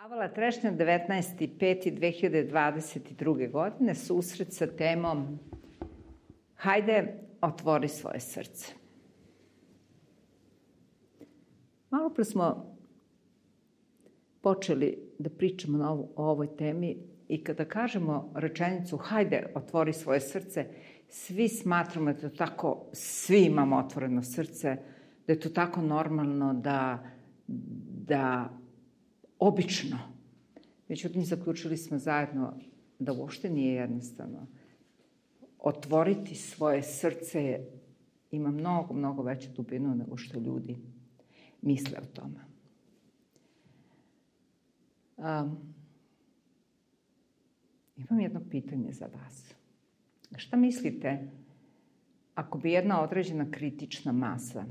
Avala Trešnja, 19.5.2022. godine, susret sa temom Hajde, otvori svoje srce. Malo pre smo počeli da pričamo o ovoj temi i kada kažemo rečenicu Hajde, otvori svoje srce, svi smatramo da je to tako, svi imamo otvoreno srce, da je to tako normalno, da obično. Međutim, zaključili smo zajedno da uopšte nije jednostavno. Otvoriti svoje srce ima mnogo, mnogo veću dubinu nego što ljudi misle o tome. Imam jedno pitanje za vas. Šta mislite ako bi jedna određena kritična masa,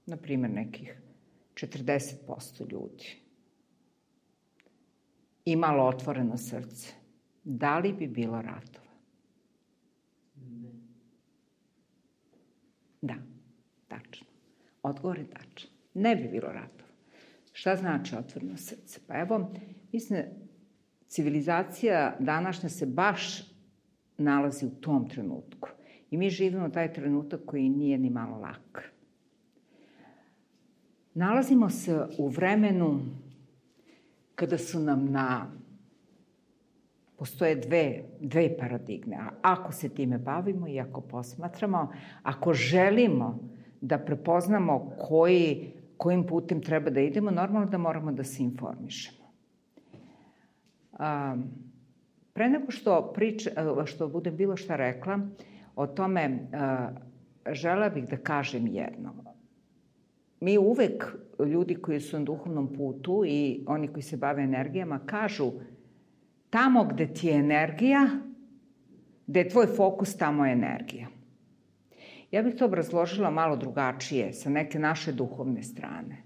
na primjer nekih 40% ljudi, imalo otvoreno srce, da li bi bilo ratova? Ne. Da, tačno. Odgovor je tačan. Ne bi bilo ratova. Šta znači otvoreno srce? Pa evo, mislim, civilizacija današnja se baš nalazi u tom trenutku. I mi živimo taj trenutak koji nije ni malo lak. Nalazimo se u vremenu kada su nam postoje dve paradigme. A ako se time bavimo i ako posmatramo, ako želimo da prepoznamo kojim putem treba da idemo, normalno da moramo da se informišemo. Pre nego što budem bilo šta rekla o tome, želela bih da kažem jedno. Mi uvek, ljudi koji su na duhovnom putu i oni koji se bave energijama, kažu tamo gde ti je energija, gde je tvoj fokus, tamo je energija. Ja bih to obrazložila malo drugačije, sa neke naše duhovne strane.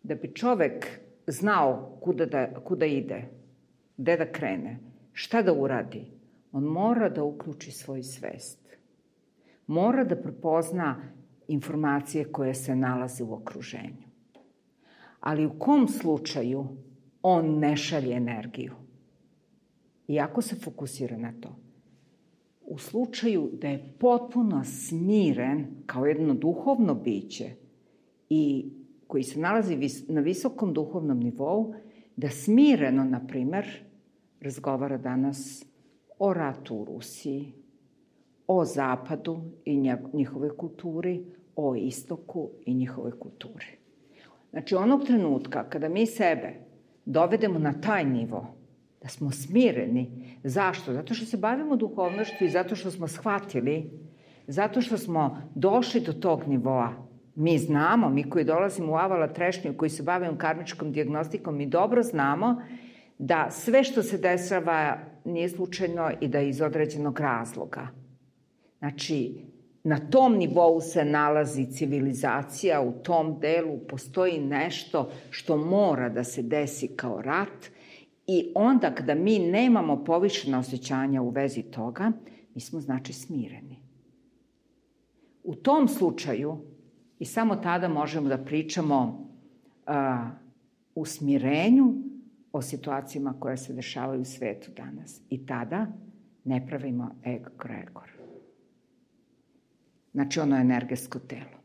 Da bi čovek znao kuda ide, gde da krene, šta da uradi, on mora da uključi svoju svest. Mora da prepozna informacije koje se nalaze u okruženju. Ali u kom slučaju on ne šalje energiju? Iako se fokusira na to. U slučaju da je potpuno smiren kao jedno duhovno biće i koji se nalazi na visokom duhovnom nivou, da smireno, na primer, razgovara danas o ratu u Rusiji, o Zapadu i njihovoj kulturi, o Istoku i njihovoj kulturi. Znači, onog trenutka kada mi sebe dovedemo na taj nivo, da smo smireni. Zašto? Zato što se bavimo duhovnošću i zato što smo shvatili, zato što smo došli do tog nivoa. Mi znamo, mi koji dolazimo u Avala Trešnju, koji se bavimo karmičkom dijagnostikom, mi dobro znamo da sve što se dešava nije slučajno i da je iz određenog razloga. Znači, na tom nivou se nalazi civilizacija, u tom delu postoji nešto što mora da se desi kao rat i onda kada mi nemamo povišena osjećanja u vezi toga, mi smo znači smireni. U tom slučaju i samo tada možemo da pričamo u smirenju o situacijama koje se dešavaju u svetu danas. I tada ne pravimo egregor. Znači, ono energetsko telo.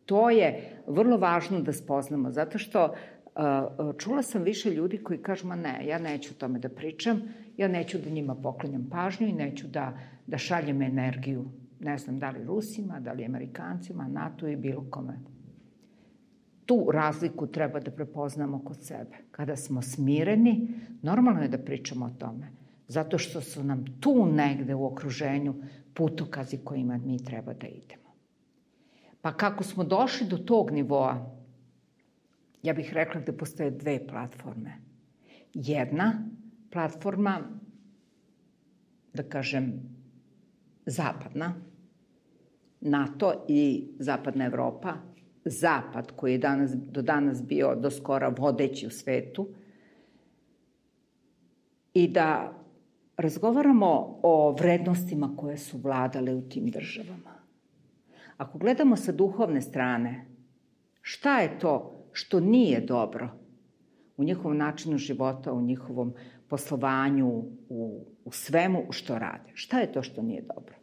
To je vrlo važno da spoznamo, zato što čula sam više ljudi koji kažu, ma ne, ja neću o tome da pričam, ja neću da njima poklanjam pažnju i neću da šaljem energiju, ne znam, da li Rusima, da li Amerikancima, NATO i bilo kome. Tu razliku treba da prepoznamo kod sebe. Kada smo smireni, normalno je da pričamo o tome, zato što su nam tu negde u okruženju putokazi kojima mi treba da idemo. Pa kako smo došli do tog nivoa, ja bih rekla da postoje dve platforme. Jedna platforma, da kažem, zapadna, NATO i zapadna Evropa, zapad koji je do danas bio do skora vodeći u svetu, i da razgovaramo o vrednostima koje su vladale u tim državama. Ako gledamo sa duhovne strane, šta je to što nije dobro u njihovom načinu života, u njihovom poslovanju, u svemu što rade. Šta je to što nije dobro?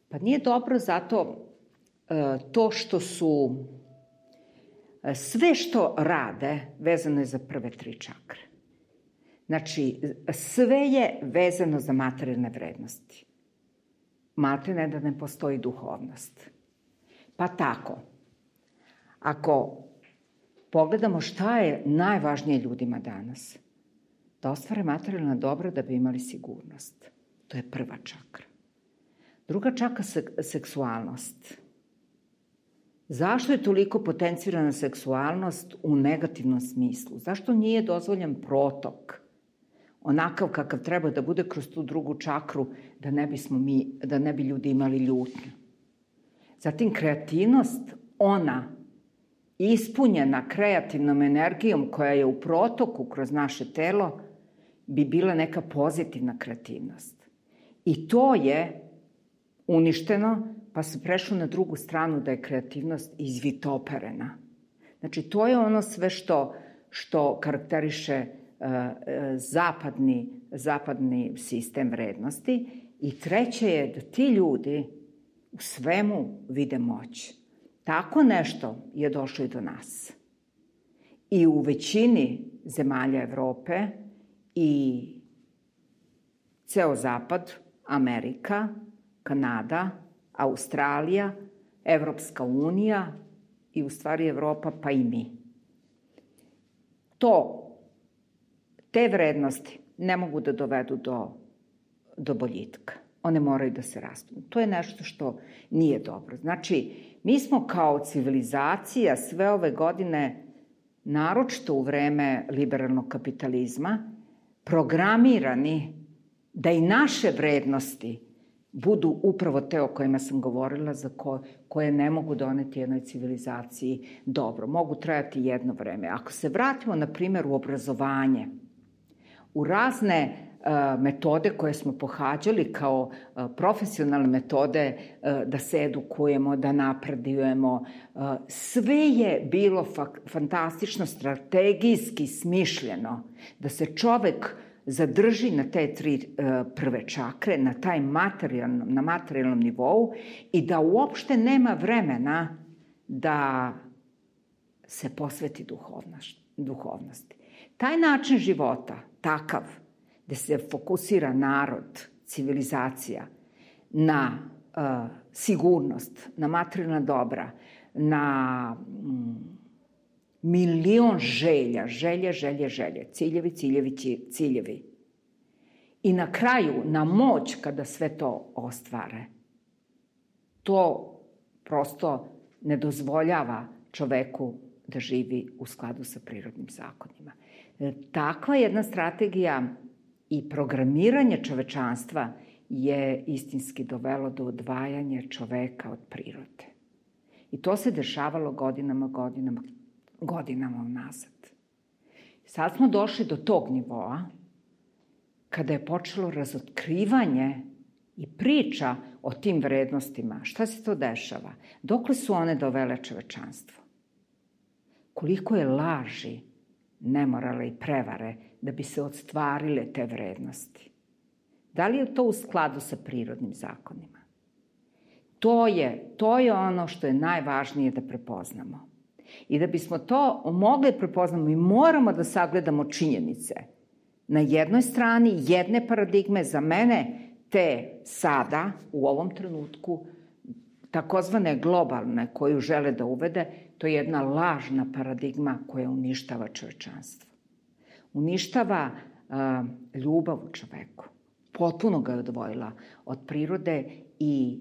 Pa nije dobro zato to što su sve što rade vezano je za prve 3 čakre. Znači, sve je vezano za materijalne vrednosti. Maltene da ne postoji duhovnost. Pa tako, ako pogledamo šta je najvažnije ljudima danas, da ostvare materijalna dobra da bi imali sigurnost. To je prva čakra. Druga čakra seksualnost. Zašto je toliko potencirana seksualnost u negativnom smislu? Zašto nije dozvoljen protok onakav kakav treba da bude kroz tu drugu čakru da ne bi ljudi imali ljutnju? Zatim kreativnost, ona ispunjena kreativnom energijom koja je u protoku kroz naše telo, bi bila neka pozitivna kreativnost. I to je uništeno, pa se prešlo na drugu stranu da je kreativnost izvitoperena. Znači, to je ono sve što karakteriše zapadni sistem vrednosti. I treće je da ti ljudi u svemu vide moć. Tako nešto je došlo i do nas. I u većini zemalja Evrope i ceo zapad, Amerika, Kanada, Australija, Evropska unija i u stvari Evropa, pa i mi. Te vrednosti ne mogu da dovedu do boljitka. One moraju da se rastu. To je nešto što nije dobro. Znači, mi smo kao civilizacija sve ove godine, naročito u vreme liberalnog kapitalizma, programirani da i naše vrednosti budu upravo te o kojima sam govorila, za koje ne mogu doneti jednoj civilizaciji dobro. Mogu trajati jedno vreme. Ako se vratimo, na primjer, u obrazovanje, u razne metode koje smo pohađali kao profesionalne metode da se edukujemo, da napredujemo, sve je bilo fantastično, strategijski smišljeno da se čovek zadrži na te 3 prve čakre, na materijalnom nivou i da uopšte nema vremena da se posveti duhovnosti. Taj način života, takav, gde se fokusira narod, civilizacija, na sigurnost, na materijalna dobra, na milion želje, ciljevi. I na kraju, na moć kada sve to ostvare. To prosto ne dozvoljava čoveku da živi u skladu sa prirodnim zakonima. Takva jedna strategija i programiranje čovečanstva je istinski dovelo do odvajanja čoveka od prirode. I to se dešavalo godinama unazad. Sad smo došli do tog nivoa kada je počelo razotkrivanje i priča o tim vrednostima. Šta se to dešava? Dokle su one dovele čovečanstvo? Koliko je laži, nemorala i prevare da bi se ostvarile te vrednosti? Da li je to u skladu sa prirodnim zakonima? To je ono što je najvažnije da prepoznamo. I da bismo to mogli prepoznamo, mi moramo da sagledamo činjenice. Na jednoj strani jedne paradigme, za mene te sada, u ovom trenutku, takozvane globalne koju žele da uvede, to je jedna lažna paradigma koja uništava čovečanstvo. Uništava ljubav u čoveku. Potpuno ga je odvojila od prirode i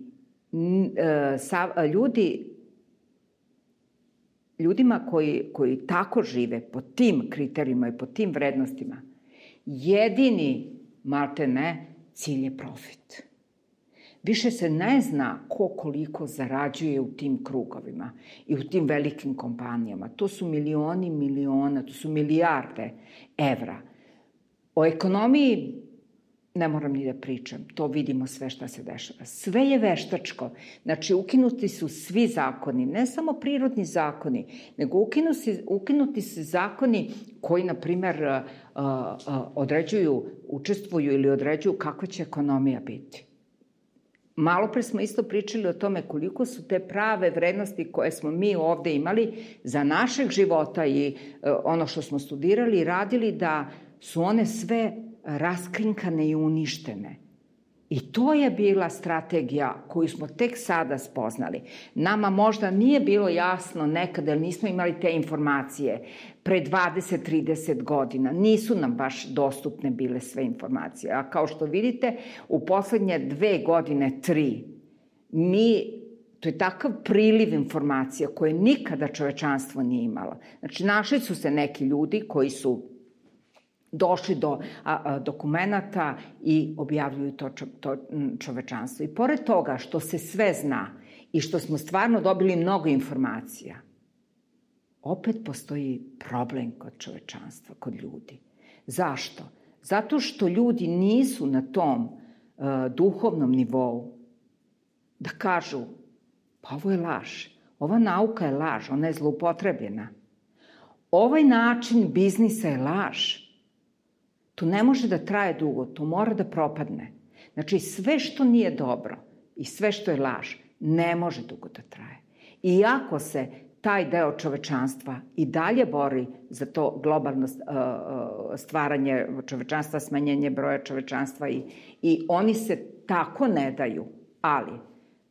ljudima koji tako žive, po tim kriterijima i po tim vrednostima, jedini, maltene, cilj je profit. Više se ne zna ko koliko zarađuje u tim krugovima i u tim velikim kompanijama. To su miliona, to su milijarde evra. O ekonomiji ne moram ni da pričam, to vidimo sve šta se dešava. Sve je veštačko, znači ukinuti su svi zakoni, ne samo prirodni zakoni, nego ukinuti su zakoni koji, na primer, određuju, učestvuju ili određuju kakva će ekonomija biti. Malo pre smo isto pričali o tome koliko su te prave vrednosti koje smo mi ovde imali za našeg života i ono što smo studirali i radili, da su one sve raskrinkane i uništene. I to je bila strategija koju smo tek sada spoznali. Nama možda nije bilo jasno nekada, jer nismo imali te informacije pre 20-30 godina. Nisu nam baš dostupne bile sve informacije. A kao što vidite, u poslednje 2 godine, 3, to je takav priliv informacija koje nikada čovečanstvo nije imalo. Znači, našli su se neki ljudi koji su došli do dokumenata i objavljuju to čovečanstvo. I pored toga što se sve zna i što smo stvarno dobili mnogo informacija, opet postoji problem kod čovečanstva, kod ljudi. Zašto? Zato što ljudi nisu na tom duhovnom nivou da kažu, pa ovo je laž, ova nauka je laž, ona je zloupotrebljena. Ovaj način biznisa je laž. To ne može da traje dugo, to mora da propadne. Znači, sve što nije dobro i sve što je laž, ne može dugo da traje. Iako se taj deo čovečanstva i dalje bori za to globalno stvaranje čovečanstva, smanjenje broja čovečanstva i oni se tako ne daju. Ali,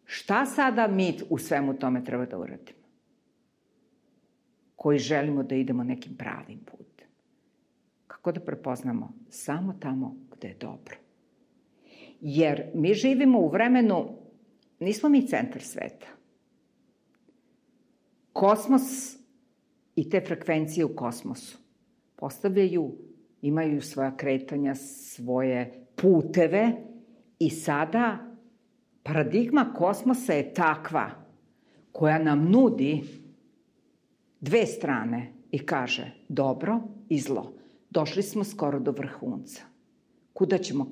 šta sada mi u svemu tome treba da uradimo? Koji želimo da idemo nekim pravim putem. Kako da prepoznamo? Samo tamo gde je dobro. Jer mi živimo u vremenu, nismo mi centar sveta. Kosmos i te frekvencije u kosmosu postavljaju, imaju svoja kretanja, svoje puteve i sada paradigma kosmosa je takva koja nam nudi 2 strane i kaže dobro i zlo. Došli smo skoro do vrhunca. Kuda ćemo?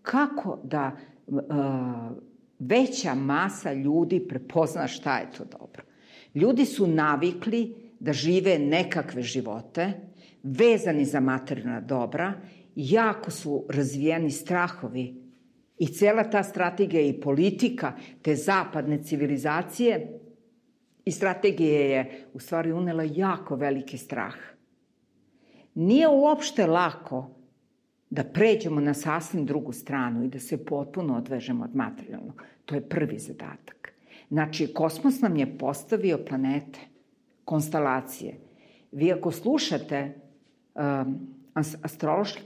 Kako da veća masa ljudi prepozna šta je to dobro? Ljudi su navikli da žive nekakve živote, vezani za materijalna dobra, jako su razvijeni strahovi i cela ta strategija i politika te zapadne civilizacije i strategije je u stvari unela jako veliki strah. Nije uopšte lako da pređemo na sasvim drugu stranu i da se potpuno odvežemo od materijalnog. To je prvi zadatak. Znači, kosmos nam je postavio planete, konstelacije. Vi ako slušate astrološke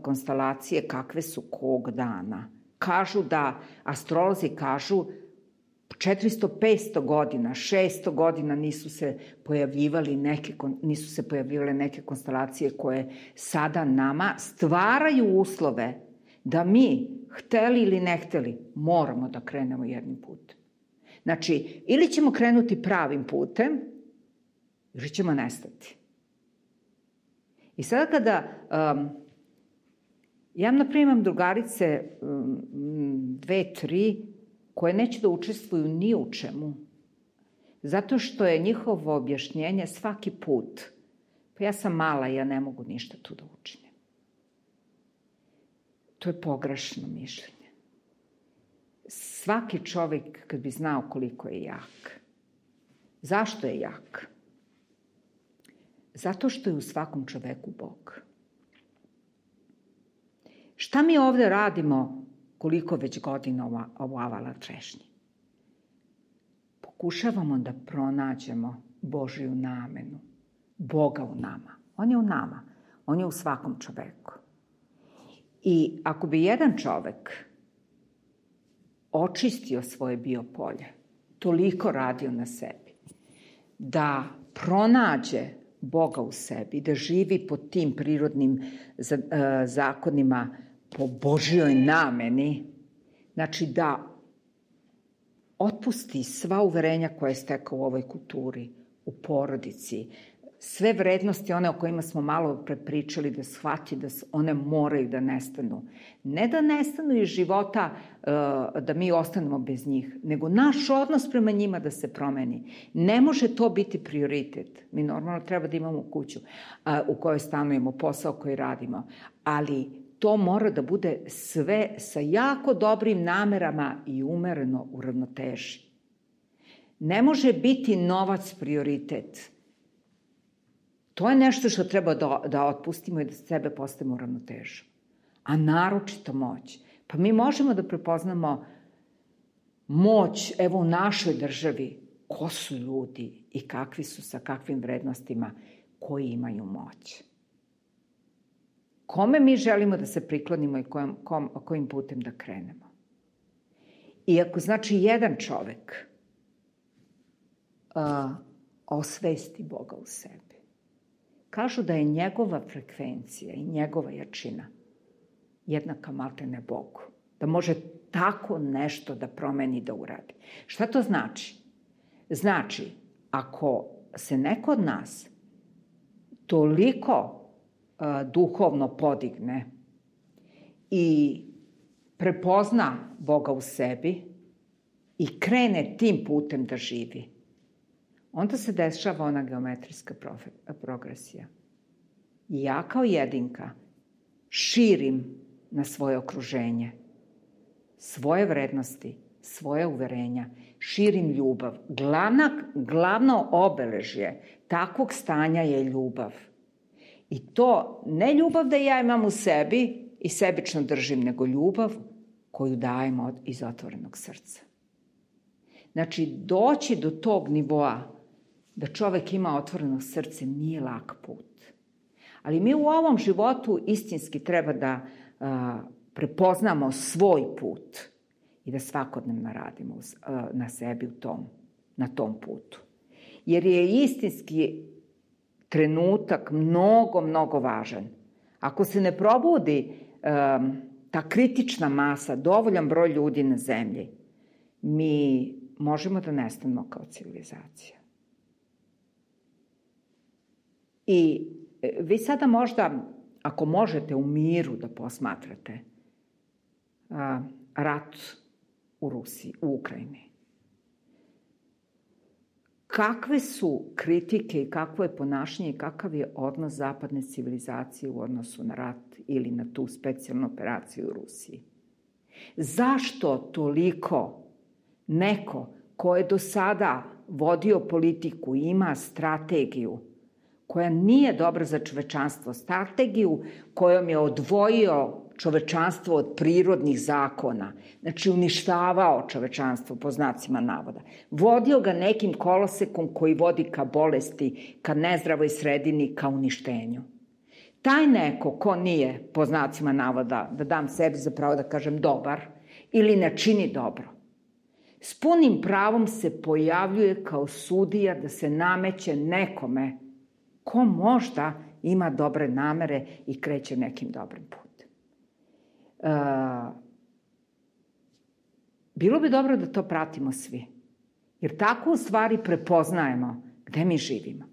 konstelacije kakve su kog dana, kažu da, astrolozi kažu 400-500 godina, 600 godina nisu se pojavljivale neke konstelacije koje sada nama stvaraju uslove da mi, hteli ili ne hteli, moramo da krenemo jednim putem. Znači, ili ćemo krenuti pravim putem, ili ćemo nestati. I sada kada ja, naprimjer, imam drugarice 2-3 koje neće da učestvuju ni u čemu, zato što je njihovo objašnjenje svaki put, pa ja sam mala i ja ne mogu ništa tu da učinim. To je pogrešno mišljenje. Svaki čovjek, kad bi znao koliko je jak. Zašto je jak? Zato što je u svakom čoveku Bog. Šta mi ovde radimo koliko već godina u avala trešnji? Pokušavamo da pronađemo Božiju namenu, Boga u nama. On je u nama, on je u svakom čoveku. I ako bi jedan čovek očistio svoje biopolje, toliko radio na sebi, da pronađe Boga u sebi, da živi po tim prirodnim zakonima, po Božjoj nameni, znači da otpusti sva uverenja koje je stekao u ovoj kulturi, u porodici, sve vrednosti, one o kojima smo malo prepričali, da shvati da one moraju da nestanu. Ne da nestanu iz života, da mi ostanemo bez njih, nego naš odnos prema njima da se promeni. Ne može to biti prioritet. Mi normalno treba da imamo kuću u kojoj stanujemo, posao koji radimo, ali to mora da bude sve sa jako dobrim namerama i umereno u ravnoteži. Ne može biti novac prioritet. To je nešto što treba da otpustimo i da sebe postavimo u ravnotežu. A naročito moć. Pa mi možemo da prepoznamo moć, evo u našoj državi, ko su ljudi i kakvi su, sa kakvim vrednostima koji imaju moć. Kome mi želimo da se priklonimo i kojim putem da krenemo. I ako znači jedan čovek osvesti Boga u sebi, kažu da je njegova frekvencija i njegova jačina jednaka maltene Bogu. Da može tako nešto da promeni, da uradi. Šta to znači? Znači, ako se neko od nas toliko duhovno podigne i prepozna Boga u sebi i krene tim putem da živi, onda se dešava ona geometrijska progresija. I ja kao jedinka širim na svoje okruženje, svoje vrednosti, svoje uverenja, širim ljubav. Glavno obeležje takvog stanja je ljubav. I to ne ljubav da ja imam u sebi i sebično držim, nego ljubav koju dajemo iz otvorenog srca. Znači, doći do tog nivoa da čovek ima otvoreno srce nije lak put. Ali mi u ovom životu istinski treba da prepoznamo svoj put i da svakodnevno radimo na sebi na tom putu. Jer je istinski trenutak mnogo važan. Ako se ne probudi ta kritična masa, dovoljan broj ljudi na zemlji, mi možemo da nestanemo kao civilizacija. I vi sada možda, ako možete u miru da posmatrate rat u Rusiji, u Ukrajini, kakve su kritike i kakvo je ponašanje i kakav je odnos zapadne civilizacije u odnosu na rat ili na tu specijalnu operaciju u Rusiji? Zašto toliko neko ko je do sada vodio politiku i ima strategiju koja nije dobra za čovečanstvo, strategiju kojom je odvojio čovečanstvo od prirodnih zakona, znači uništavao čovečanstvo po znacima navoda, vodio ga nekim kolosekom koji vodi ka bolesti, ka nezdravoj sredini, ka uništenju. Taj neko ko nije, po znacima navoda, da dam sebi za pravo da kažem dobar, ili ne čini dobro, s punim pravom se pojavljuje kao sudija da se nameće nekome ko možda ima dobre namere i kreće nekim dobrim putem. Bilo bi dobro da to pratimo svi, jer tako u stvari prepoznajemo gde mi živimo.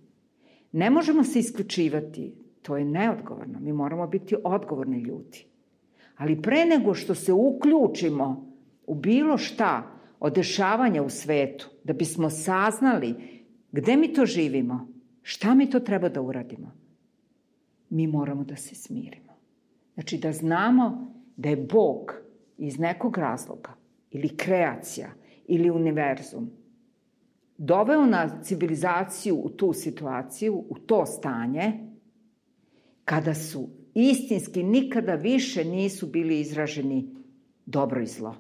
Ne možemo se isključivati, to je neodgovorno, mi moramo biti odgovorni ljudi. Ali pre nego što se uključimo u bilo šta od dešavanja u svetu, da bismo saznali gde mi to živimo, šta mi to treba da uradimo, mi moramo da se smirimo. Znači da znamo da je Bog iz nekog razloga ili kreacija ili univerzum doveo na civilizaciju u tu situaciju, u to stanje, kada su istinski nikada više nisu bili izraženi dobro i zlo.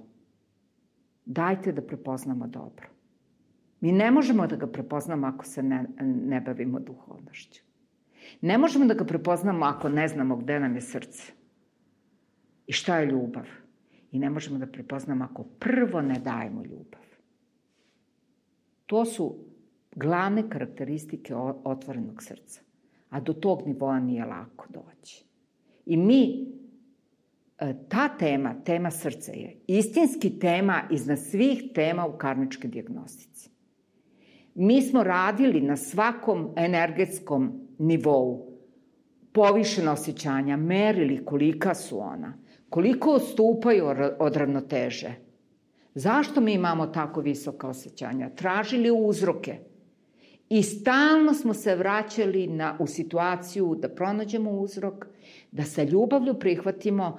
Dajte da prepoznamo dobro. Mi ne možemo da ga prepoznamo ako se ne bavimo duhovnošću. Ne možemo da ga prepoznamo ako ne znamo gde nam je srce i šta je ljubav. I ne možemo da prepoznamo ako prvo ne dajemo ljubav. To su glavne karakteristike otvorenog srca. A do tog nivoa nije lako doći. I mi, ta tema srca je istinski tema iznad svih tema u karmičkoj dijagnostici. Mi smo radili na svakom energetskom nivou, povišena osjećanja, merili kolika su ona, koliko odstupaju od ravnoteže. Zašto mi imamo tako visoka osjećanja? Tražili uzroke. I stalno smo se vraćali u situaciju da pronađemo uzrok, da sa ljubavlju prihvatimo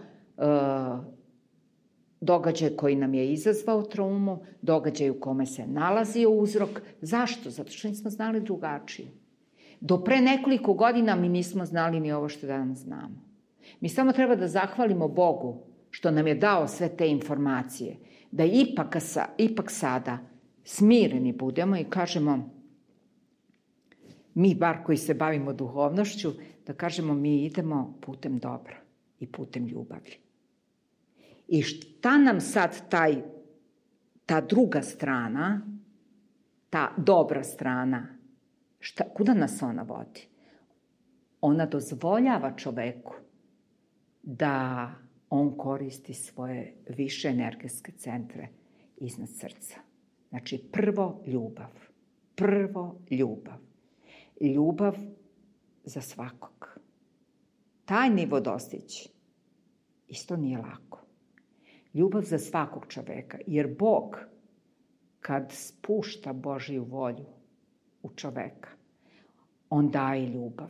događaj koji nam je izazvao traumu, događaj u kome se nalazio uzrok. Zašto? Zato što nismo znali drugačije. Do pre nekoliko godina mi nismo znali ni ovo što danas znamo. Mi samo treba da zahvalimo Bogu što nam je dao sve te informacije, da ipak sada smireni budemo i kažemo, mi bar koji se bavimo duhovnošću, da kažemo mi idemo putem dobra i putem ljubavi. I šta nam sad ta druga strana, ta dobra strana, kuda nas ona vodi? Ona dozvoljava čoveku da on koristi svoje više energetske centre iznad srca. Znači, prvo ljubav. Ljubav za svakog. Taj nivo dostići isto nije lako. Ljubav za svakog čoveka, jer Bog, kad spušta Božiju volju u čoveka, on daje ljubav.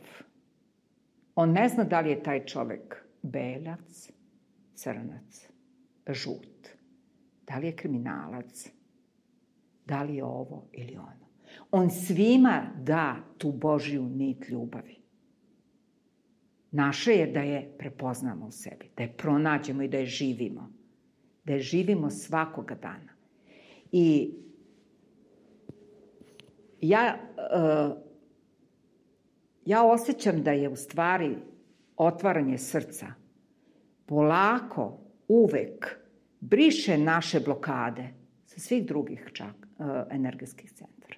On ne zna da li je taj čovek belac, crnac, žut, da li je kriminalac, da li je ovo ili ono. On svima da tu Božju nit ljubavi. Naše je da je prepoznamo u sebi, da je pronađemo i da je živimo. Da je živimo svakoga dana. I ja osjećam da je u stvari otvaranje srca polako, uvek briše naše blokade sa svih drugih čak energetskih centara.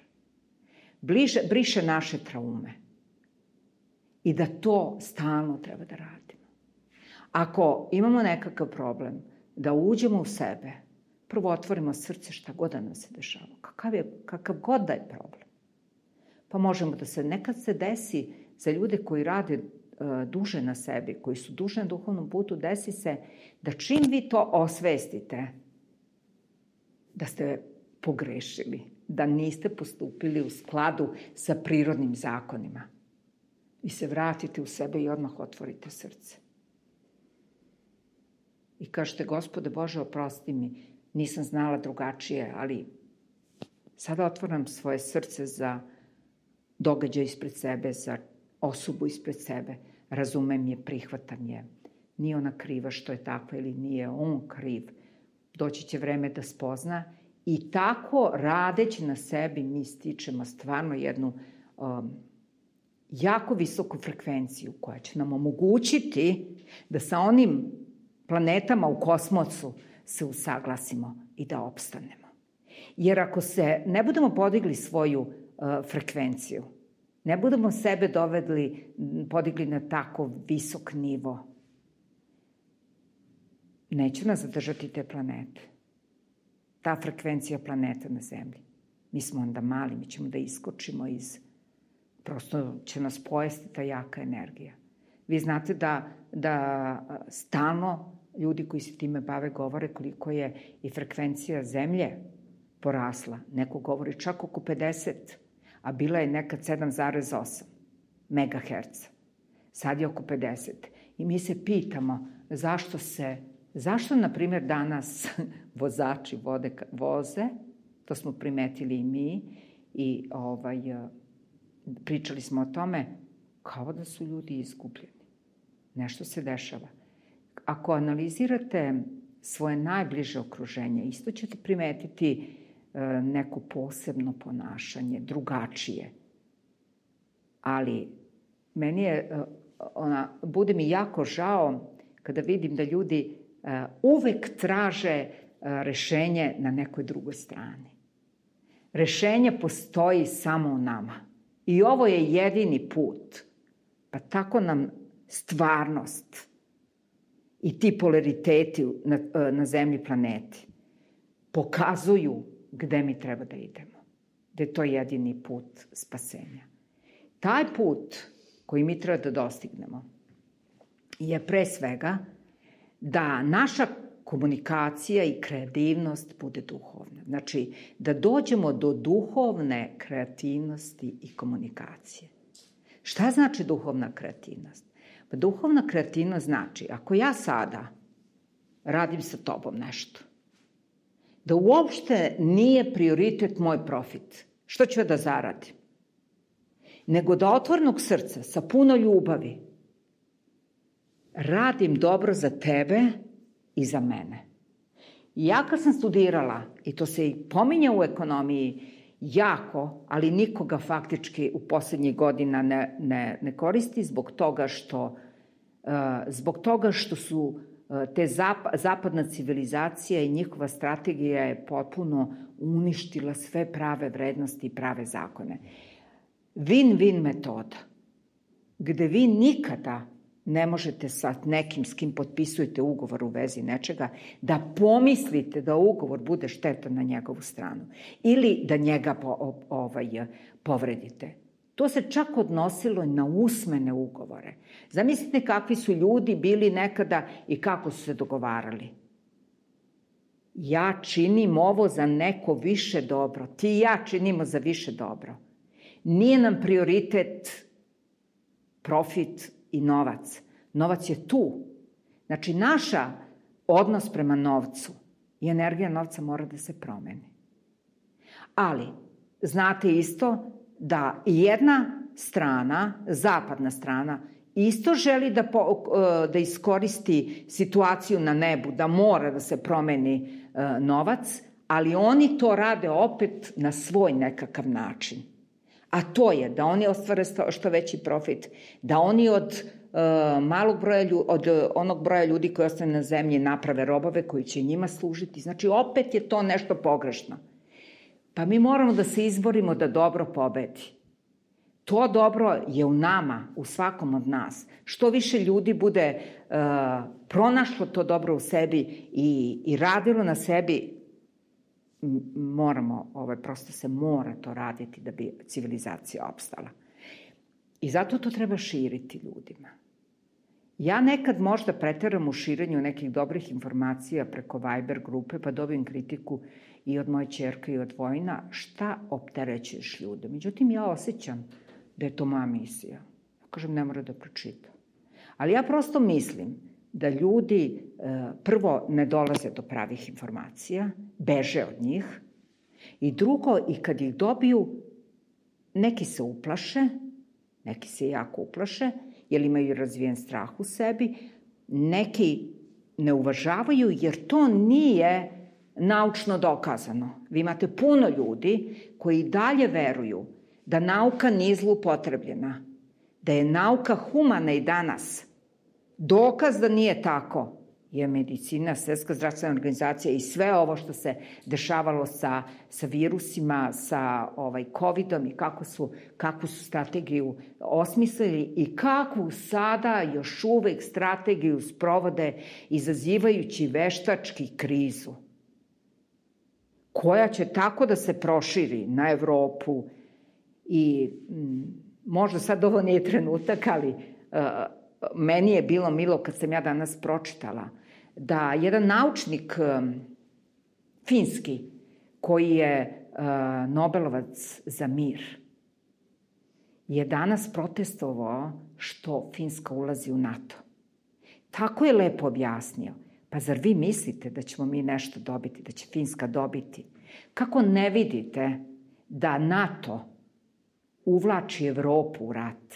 Briše naše traume. I da to stalno treba da radimo. Ako imamo nekakav problem, da uđemo u sebe, prvo otvorimo srce šta god da nam se dešava. Kakav god da je problem. Pa možemo da se nekad se desi za ljude koji rade duže na sebi, koji su duže na duhovnom putu, desi se da čim vi to osvestite, da ste pogrešili, da niste postupili u skladu sa prirodnim zakonima. Vi se vratite u sebe i odmah otvorite srce. I kažete, Gospode Bože, oprosti mi, nisam znala drugačije, ali sada otvaram svoje srce za događaj ispred sebe, za osobu ispred sebe. Razumem je, prihvatam je. Nije ona kriva što je takva ili nije on kriv. Doći će vreme da spozna i tako radeći na sebi mi stičemo stvarno jednu jako visoku frekvenciju koja će nam omogućiti da sa onim planetama u kosmosu se usaglasimo i da opstanemo. Jer ako se ne budemo podigli svoju frekvenciju, ne budemo sebe podigli na tako visok nivo, neće nas zadržati te planete. Ta frekvencija planeta na Zemlji. Mi smo onda mali, mi ćemo da iskočimo prosto će nas pojesti ta jaka energija. Vi znate da stalno ljudi koji se time bave govore koliko je i frekvencija Zemlje porasla. Neko govori čak oko 50, a bila je nekad 7,8 megaherca. Sad je oko 50. I mi se pitamo zašto, na primjer, danas vozači voze, to smo primetili i mi, i pričali smo o tome, kao da su ljudi izgubljeni. Nešto se dešava. Ako analizirate svoje najbliže okruženje, isto ćete primetiti neko posebno ponašanje, drugačije. Ali meni bude mi jako žao kada vidim da ljudi uvek traže rešenje na nekoj drugoj strani. Rešenje postoji samo u nama. I ovo je jedini put. Pa tako nam stvarnost i ti polariteti na Zemlji planeti pokazuju gde mi treba da idemo. da je to jedini put spasenja. Taj put koji mi treba da dostignemo je pre svega da naša komunikacija i kreativnost bude duhovna. Znači, da dođemo do duhovne kreativnosti i komunikacije. Šta znači duhovna kreativnost? Pa duhovna kreativnost znači, ako ja sada radim sa tobom nešto, da uopšte nije prioritet moj profit, što ću da zaradim, nego da otvornog srca, sa puno ljubavi, radim dobro za tebe i za mene. I ja kad sam studirala, i to se i pominja u ekonomiji jako, ali nikoga faktički u poslednjih godina ne koristi zbog toga što su te zapadna civilizacija i njihova strategija je potpuno uništila sve prave vrednosti i prave zakone. Win-win metoda, gde vi nikada ne možete sa nekim s kim potpisujete ugovor u vezi nečega da pomislite da ugovor bude štetan na njegovu stranu ili da njega povredite. To se čak odnosilo na usmene ugovore. Zamislite kakvi su ljudi bili nekada i kako su se dogovarali. Ja činim ovo za neko više dobro. Ti i ja činimo za više dobro. Nije nam prioritet profit i novac. Novac je tu. Znači, naša odnos prema novcu i energija novca mora da se promeni. Ali, znate isto da jedna strana, zapadna strana, isto želi da iskoristi situaciju na nebu, da mora da se promeni novac, ali oni to rade opet na svoj nekakav način. A to je da oni ostvare što veći profit, da oni od onog broja ljudi koji ostane na zemlji naprave robove koji će njima služiti. Znači, opet je to nešto pogrešno. Pa mi moramo da se izborimo da dobro pobedi. To dobro je u nama, u svakom od nas. Što više ljudi bude pronašlo to dobro u sebi i radilo na sebi, prosto se mora to raditi da bi civilizacija opstala. I zato to treba širiti ljudima. Ja nekad možda preteram u širenju nekih dobrih informacija preko Viber grupe, pa dobijem kritiku i od moje ćerke i od Vojina, šta opterećuješ ljude. Međutim, ja osjećam da je to moja misija. Ja kažem, ne mora da pročita. Ali ja prosto mislim da ljudi prvo ne dolaze do pravih informacija, beže od njih, i drugo, i kad ih dobiju, neki se uplaše, neki se jako uplaše, jer imaju razvijen strah u sebi, neki ne uvažavaju, jer to nije naučno dokazano. Vi imate puno ljudi koji dalje veruju da nauka nije zloupotrebljena, da je nauka humana i danas. Dokaz da nije tako je medicina, Svetska zdravstvena organizacija i sve ovo što se dešavalo sa virusima, sa COVID-om i kakvu su strategiju osmislili i kakvu sada još uvek strategiju sprovode izazivajući veštački krizu, koja će tako da se proširi na Evropu i možda sad ovo nije trenutak, ali meni je bilo milo kad sam ja danas pročitala da jedan naučnik finski koji je Nobelovac za mir je danas protestovao što Finska ulazi u NATO. Tako je lepo objasnio. Pa zar vi mislite da ćemo mi nešto dobiti, da će Finska dobiti? Kako ne vidite da NATO uvlači Evropu u rat?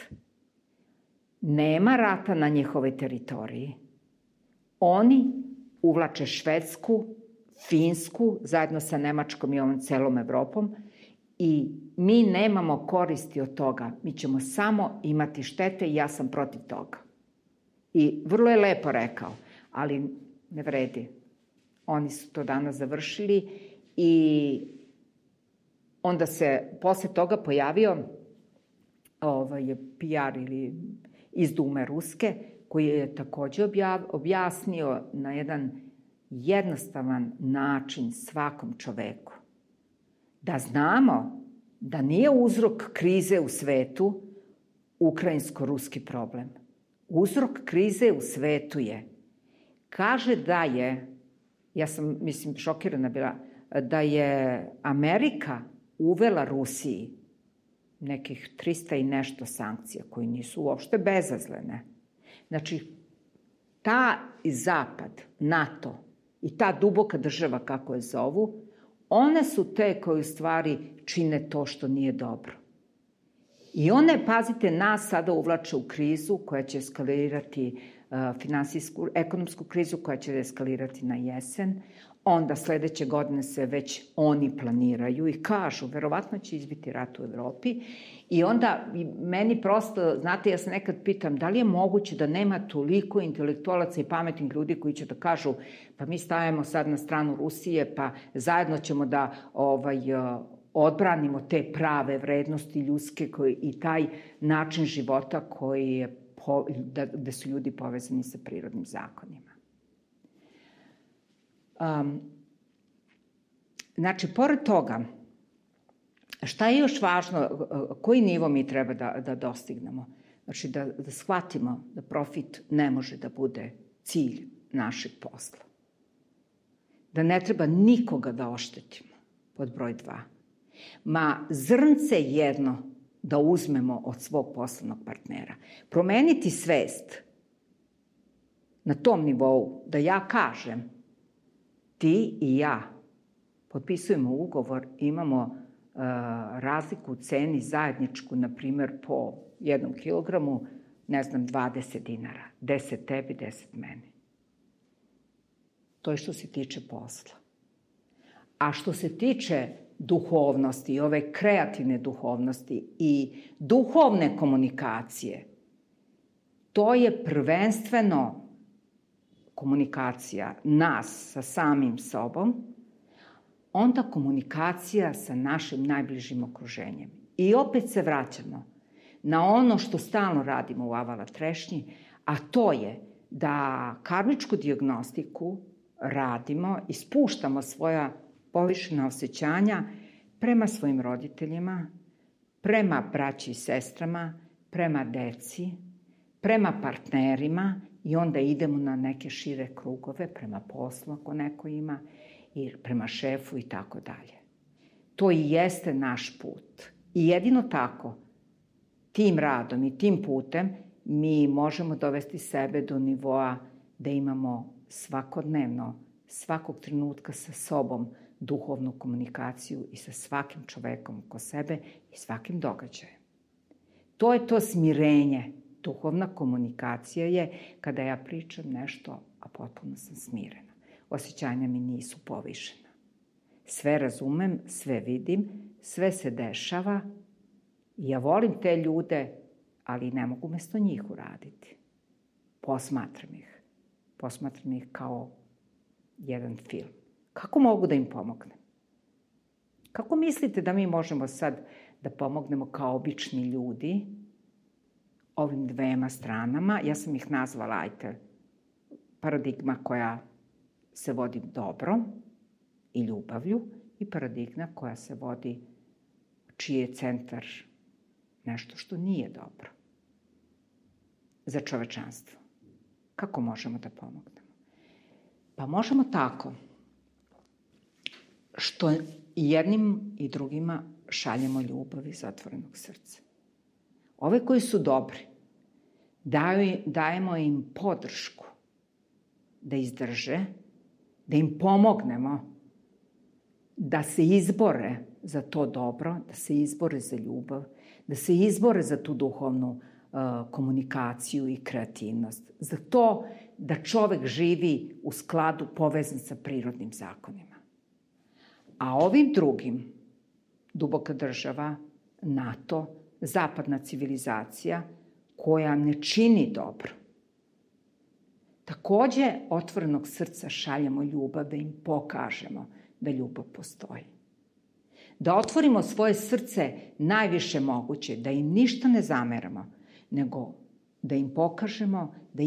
Nema rata na njihovoj teritoriji. Oni uvlače Švedsku, Finsku, zajedno sa Nemačkom i ovom celom Evropom, i mi nemamo koristi od toga. Mi ćemo samo imati štete i ja sam protiv toga. I vrlo je lepo rekao, ali ne vredi. Oni su to danas završili i onda se posle toga pojavio PR ili iz Dume Ruske, koji je takođe objasnio na jedan jednostavan način svakom čoveku da znamo da nije uzrok krize u svetu ukrajinsko-ruski problem. Uzrok krize u svetu je, kaže da je, ja sam, mislim, šokirana bila, da je Amerika uvela Rusiji nekih 300 i nešto sankcija, koji nisu uopšte bezazlene. Znači, ta Zapad, NATO i ta duboka država, kako je zovu, one su te koje u stvari čine to što nije dobro. I one, pazite, nas sada uvlače u krizu koja će eskalirati finansijsku, ekonomsku krizu koja će eskalirati na jesen. Onda sledeće godine se već oni planiraju i kažu, verovatno će izbiti rat u Evropi. I onda meni prosto, znate, ja se nekad pitam, da li je moguće da nema toliko intelektualaca i pametnih ljudi koji će da kažu, pa mi stavimo sad na stranu Rusije, pa zajedno ćemo da odbranimo te prave vrednosti ljudske i taj način života koji je, gde su ljudi povezani sa prirodnim zakonima. Znači, pored toga, šta je još važno, koji nivo mi treba da dostignemo? Znači, da shvatimo da profit ne može da bude cilj našeg posla. Da ne treba nikoga da oštetimo, pod broj 2. Ma zrnce jedno da uzmemo od svog poslovnog partnera. Promeniti svest na tom nivou, da ja kažem, ti i ja potpisujemo ugovor, imamo razliku u ceni zajedničku, na primer, po 1 kilogramu, ne znam, 20 dinara. 10 tebi, 10 meni. To je što se tiče posla. A što se tiče duhovnosti, ove kreativne duhovnosti i duhovne komunikacije, to je prvenstveno komunikacija nas sa samim sobom, onda komunikacija sa našim najbližim okruženjem. I opet se vraćamo na ono što stalno radimo u Avala trešnji, a to je da karmičku dijagnostiku radimo i spuštamo svoja povišena osjećanja prema svojim roditeljima, prema braći i sestrama, prema deci, prema partnerima i onda idemo na neke šire krugove, prema poslu ako neko ima, i prema šefu i tako dalje. To i jeste naš put. I jedino tako, tim radom i tim putem, mi možemo dovesti sebe do nivoa da imamo svakodnevno, svakog trenutka sa sobom duhovnu komunikaciju i sa svakim čovekom oko sebe i svakim događajem. To je to smirenje. Duhovna komunikacija je kada ja pričam nešto, a potpuno sam smirena. Osjećanja mi nisu povišena. Sve razumem, sve vidim, sve se dešava. Ja volim te ljude, ali ne mogu mesto njih uraditi. Posmatram ih. Posmatram ih kao jedan film. Kako mogu da im pomognem? Kako mislite da mi možemo sad da pomognemo kao obični ljudi ovim dvema stranama? Ja sam ih nazvala, paradigma koja se vodi dobro i ljubavlju i paradigma koja se vodi, čiji je centar nešto što nije dobro za čovečanstvo. Kako možemo da pomognemo? Pa možemo tako što jednim i drugima šaljemo ljubav iz otvorenog srca. Ove koji su dobri, dajemo im podršku da izdrže, da im pomognemo da se izbore za to dobro, da se izbore za ljubav, da se izbore za tu duhovnu komunikaciju i kreativnost, za to da čovek živi u skladu povezan sa prirodnim zakonima. A ovim drugim, duboka država, NATO, zapadna civilizacija, koja ne čini dobro, takođe otvorenog srca šaljemo ljubav da im pokažemo da ljubav postoji. Da otvorimo svoje srce najviše moguće, da im ništa ne zameramo, nego da im pokažemo da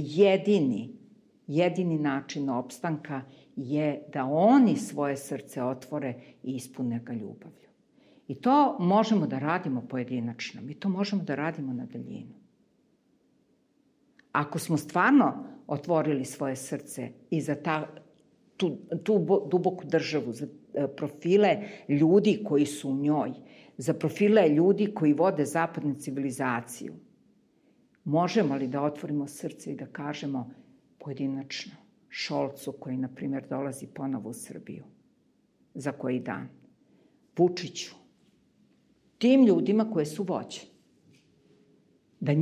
jedini način opstanka je da oni svoje srce otvore i ispune ga ljubavlju. I to možemo da radimo pojedinačno. Mi to možemo da radimo na daljinu. Ako smo stvarno otvorili svoje srce i za tu duboku državu, za profile ljudi koji su u njoj, za profile ljudi koji vode zapadnu civilizaciju, možemo li da otvorimo srce i da kažemo pojedinačno Šolcu, koji, na primjer, dolazi ponovo u Srbiju za koji dan, Vučiću, tim ljudima koje su vođe, da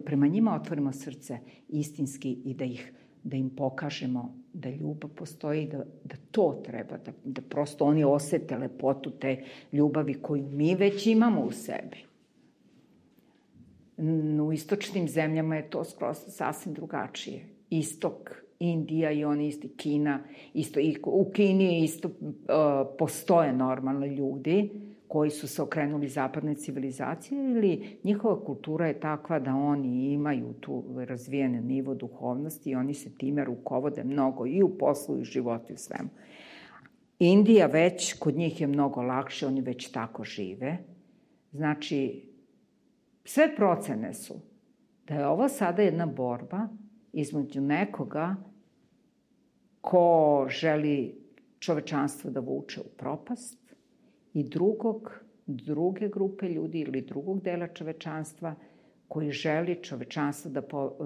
prema njima otvorimo srce istinski i da im pokažemo da ljubav postoji, da to treba, da prosto oni osete lepotu te ljubavi koju mi već imamo u sebi. U istočnim zemljama je to skroz sasvim drugačije. Istok, Indija i oni isti, Kina, isto, i u Kini isto postoje normalno ljudi koji su se okrenuli zapadnoj civilizaciji ili njihova kultura je takva da oni imaju tu razvijene nivo duhovnosti i oni se time rukovode mnogo i u poslu i u životu i u svemu. Indija već, kod njih je mnogo lakše, oni već tako žive. Znači, sve procene su da je ovo sada jedna borba između nekoga ko želi čovečanstvo da vuče u propast i druge grupe ljudi ili drugog dela čovečanstva koji želi čovečanstvo da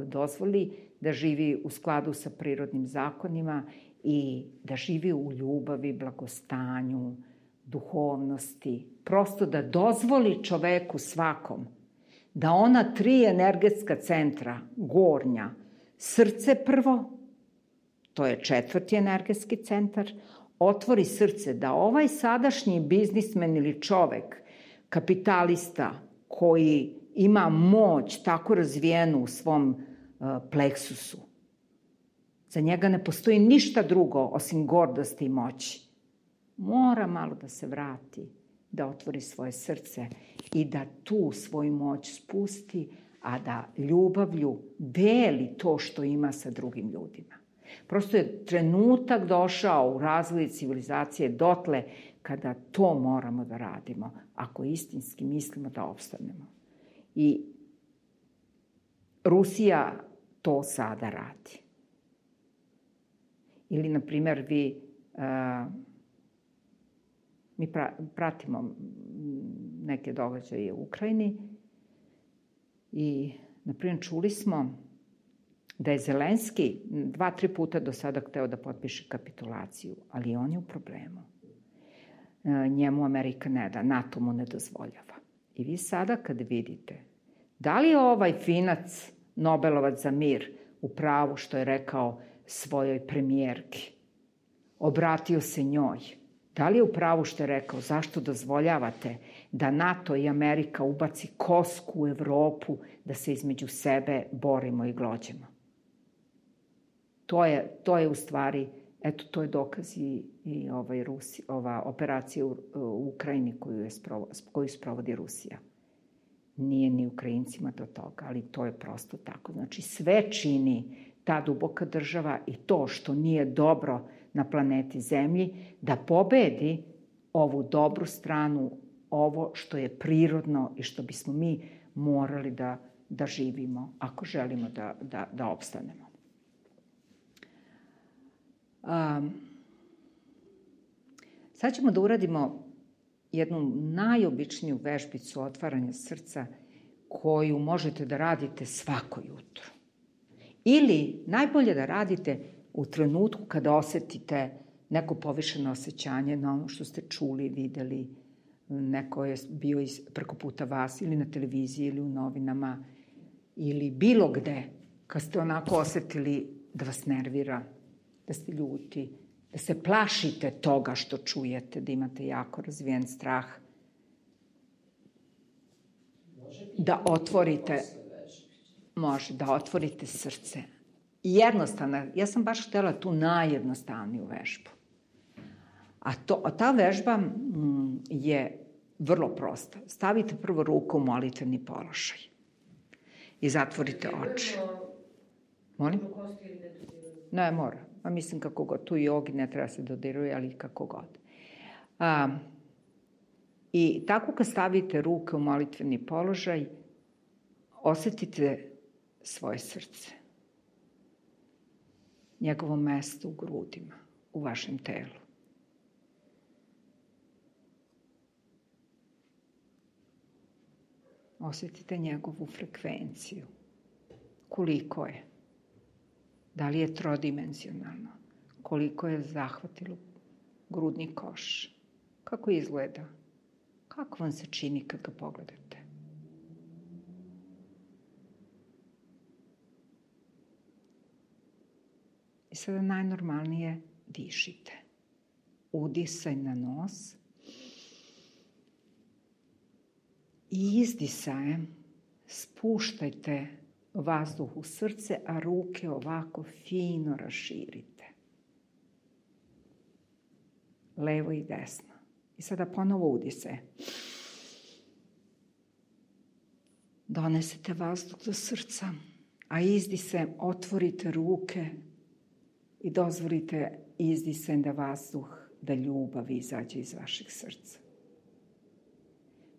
dozvoli da živi u skladu sa prirodnim zakonima i da živi u ljubavi, blagostanju, duhovnosti. Prosto da dozvoli čoveku svakom da ona 3 energetska centra, gornja, srce prvo, to je 4. energetski centar, otvori srce da ovaj sadašnji biznismen ili čovek, kapitalista koji ima moć tako razvijenu u svom pleksusu, za njega ne postoji ništa drugo osim gordosti i moći. Mora malo da se vrati, da otvori svoje srce i da tu svoju moć spusti, a da ljubavlju deli to što ima sa drugim ljudima. Prosto je trenutak došao u razvoju civilizacije dotle kada to moramo da radimo, ako istinski mislimo da opstanemo. I Rusija to sada radi. Ili, na primjer, mi pratimo neke događaje u Ukrajini i, na primjer, čuli smo da je Zelenski 2-3 puta do sada hteo da potpiše kapitulaciju, ali on je u problemu. Njemu Amerika ne da, NATO mu ne dozvoljava. I vi sada kad vidite, da li je ovaj finac, Nobelovac za mir, u pravu što je rekao svojoj premijerki, obratio se njoj, da li je u pravu što je rekao, zašto dozvoljavate da NATO i Amerika ubaci kosku u Evropu, da se između sebe borimo i glođemo? To je u stvari, eto, to je dokaz i ova operacija u Ukrajini koju sprovodi Rusija. Nije ni Ukrajincima do toga, ali to je prosto tako. Znači, sve čini ta duboka država i to što nije dobro na planeti Zemlji, da pobedi ovu dobru stranu, ovo što je prirodno i što bismo mi morali da živimo, ako želimo da opstanemo. Sad ćemo da uradimo jednu najobičniju vežbicu otvaranja srca koju možete da radite svako jutro. Ili najbolje da radite u trenutku kada osetite neko povišeno osjećanje na ono što ste čuli, videli, neko je bio preko puta vas ili na televiziji ili u novinama ili bilo gde, kad ste onako osetili da vas nervira, da ste ljuti, da se plašite toga što čujete, da imate jako razvijen strah, da otvorite srce. Jednostavno, ja sam baš htela tu najjednostavniju vežbu. A ta vežba je vrlo prosta. Stavite prvo ruku u molitveni položaj i zatvorite oči. Molim? Ne, mora. A mislim kako god. Tu jogi ne treba se dodiruje, ali kako god. I tako kad stavite ruke u molitveni položaj, osetite svoje srce. Njegovo mesto u grudima, u vašem telu. Osetite njegovu frekvenciju. Koliko je? Da li je trodimenzionalno? Koliko je zahvatilo grudni koš? Kako izgleda? Kako vam se čini kad ga pogledate? I sada najnormalnije dišite. Udisaj na nos i izdisajem spuštajte vazduh u srce, a ruke ovako fino raširite. Levo i desno. I sada ponovo udisaj. Donesete vazduh do srca, a izdisajem otvorite ruke i dozvolite izdisajem da vazduh, da ljubav izađe iz vašeg srca.